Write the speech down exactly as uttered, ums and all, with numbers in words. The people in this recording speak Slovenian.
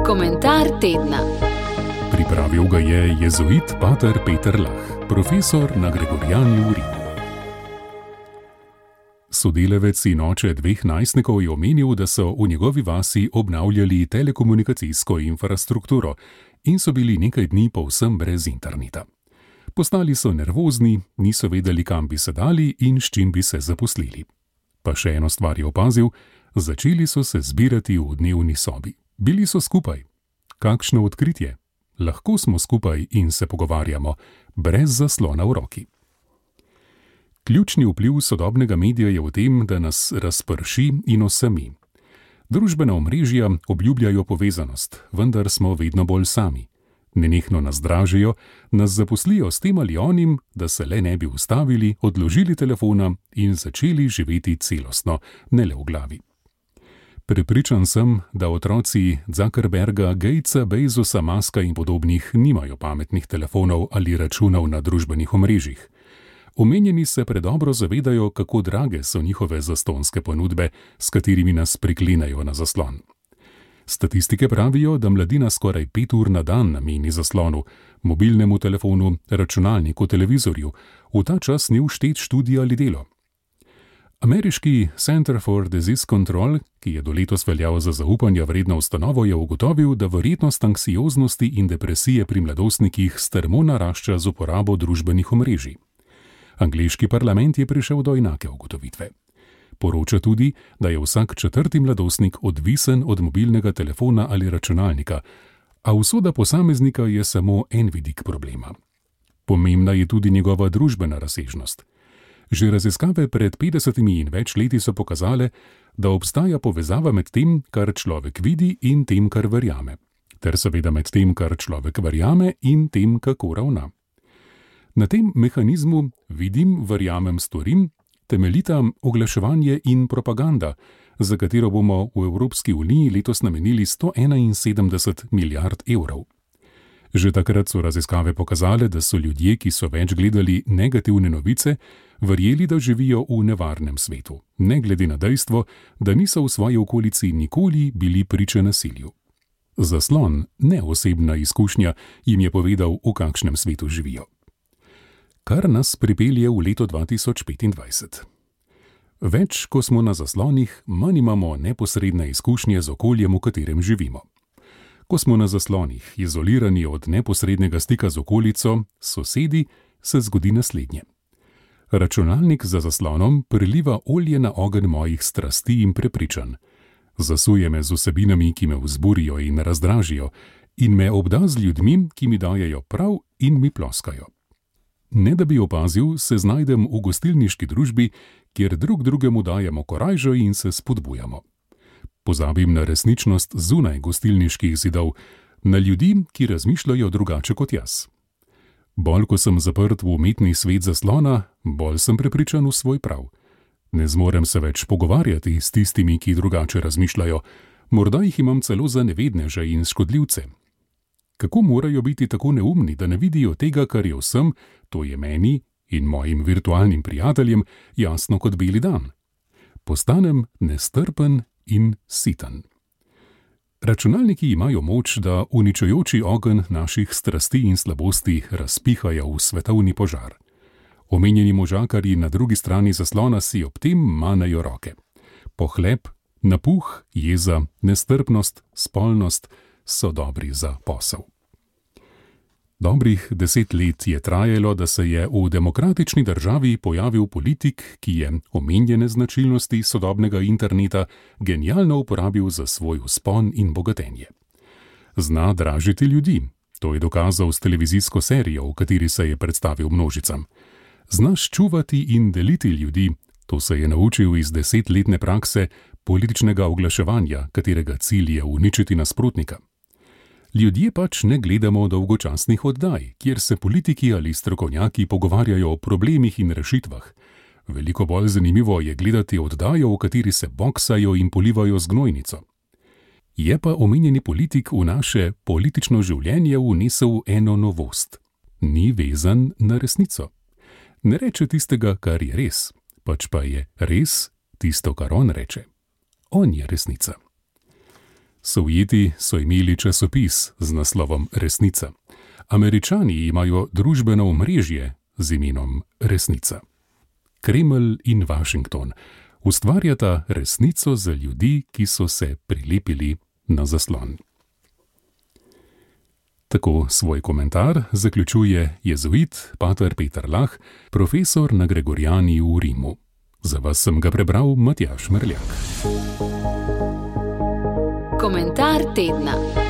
Komentar tedna. Pripravil ga je jezuit pater Peter Lah, profesor na Gregoriani v Rimu. Sodelavec in oče dveh najstnikov je omenil, da so v njegovi vasi obnavljali telekomunikacijsko infrastrukturo in so bili nekaj dni povsem brez interneta. Postali so nervozni, niso vedeli, kam bi se dali in s čim bi se zaposlili. Pa še eno stvar je opazil, začeli so se zbirati v dnevni sobi. Bili so skupaj. Kakšno odkritje? Lahko smo skupaj in se pogovarjamo, brez zaslona v roki. Ključni vpliv sodobnega medija je v tem, da nas razprši in osami. Družbena omrežja obljubljajo povezanost, vendar smo vedno bolj sami. Nenehno nas dražijo, nas zaposlijo s tem ali onim, da se le ne bi ustavili, odložili telefona in začeli živeti celostno, ne le v glavi. Prepričan sem, da otroci Zuckerberga, Gatesa, Bezosa, Muska in podobnih nimajo pametnih telefonov ali računov na družbenih omrežjih. Omenjeni se predobro zavedajo, kako drage so njihove zastonjske ponudbe, s katerimi nas priklenejo na zaslon. Statistike pravijo, da mladina skoraj pet ur na dan nameni zaslonu, mobilnemu telefonu, računalniku, televizorju, v ta čas ni vštet študij ali delo. Ameriški Center for Disease Control, ki je do letos veljal za zaupanja vredno ustanovo, je ugotovil, da verjetnost anksioznosti in depresije pri mladostnikih strmo narašča z uporabo družbenih omrežij. Angleški parlament je prišel do enake ugotovitve. Poroča tudi, da je vsak četrti mladostnik odvisen od mobilnega telefona ali računalnika, a usoda posameznika je samo en vidik problema. Pomembna je tudi njegova družbena razsežnost. Že raziskave pred petdesetimi in več leti so pokazale, da obstaja povezava med tem, kar človek vidi in tem, kar verjame, ter seveda med tem, kar človek verjame in tem, kako ravna. Na tem mehanizmu vidim, verjamem, storim, temeljita oglaševanje in propaganda, za katero bomo v Evropski uniji letos namenili sto enainsedemdeset milijard evrov. Že takrat so raziskave pokazale, da so ljudje, ki so več gledali negativne novice, verjeli, da živijo v nevarnem svetu, ne glede na dejstvo, da niso v svoji okolici nikoli bili priče nasilju. Zaslon, ne osebna izkušnja, jim je povedal, v kakšnem svetu živijo. Kar nas pripelje v leto dva tisoč petindvajset. Več, ko smo na zaslonih, manj imamo neposredne izkušnje z okoljem, v katerem živimo. Ko smo na zaslonih, izolirani od neposrednega stika z okolico, sosedi, se zgodi naslednje. Računalnik za zaslonom priliva olje na ogenj mojih strasti in prepričanj. Zasuje me z vsebinami, ki me vzburijo in razdražijo, in me obda z ljudmi, ki mi dajejo prav in mi ploskajo. Ne da bi opazil, se znajdem v gostilniški družbi, kjer drug drugemu dajemo korajžo in se spodbujamo. Pozabim na resničnost zunaj gostilniških zidov, na ljudi, ki razmišljajo drugače kot jaz. Bolj, ko sem zaprt v umetni svet zaslona, bolj sem prepričan v svoj prav. Ne zmorem se več pogovarjati s tistimi, ki drugače razmišljajo, morda jih imam celo za nevedneže in škodljivce. Kako morajo biti tako neumni, da ne vidijo tega, kar je vsem, to je meni in mojim virtualnim prijateljem, jasno kot beli dan? Postanem nestrpen in siten. Računalniki imajo moč, da uničujoči ogenj naših strasti in slabosti razpihajo v svetovni požar. Omenjeni možakarji na drugi strani zaslona si ob tem manejo roke. Pohlep, napuh, jeza, nestrpnost, spolnost so dobri za posel. Dobrih deset let je trajalo, da se je v demokratični državi pojavil politik, ki je omenjene značilnosti sodobnega interneta genialno uporabil za svoj vzpon in bogatenje. Zna dražiti ljudi, to je dokazal s televizijsko serijo, v kateri se je predstavil množicam. Zna ščuvati in deliti ljudi, to se je naučil iz desetletne prakse političnega oglaševanja, katerega cilj je uničiti nasprotnika. Ljudje pač ne gledamo dolgočasnih oddaj, kjer se politiki ali strokovnjaki pogovarjajo o problemih in rešitvah. Veliko bolj zanimivo je gledati oddajo, v kateri se boksajo in polivajo z gnojnico. Je pa omenjeni politik v naše politično življenje vnesel eno novost. Ni vezan na resnico. Ne reče tistega, kar je res, pač pa je res tisto, kar on reče. On je resnica. Sovjeti so imeli časopis z naslovom Resnica. Američani imajo družbeno omrežje z imenom Resnica. Kremelj in Washington ustvarjata resnico za ljudi, ki so se prilepili na zaslon. Tako svoj komentar zaključuje jezuit pater Peter Lah, profesor na Gregoriani v Rimu. Za vas sem ga prebral Matjaž Merljak. Komentar tedna.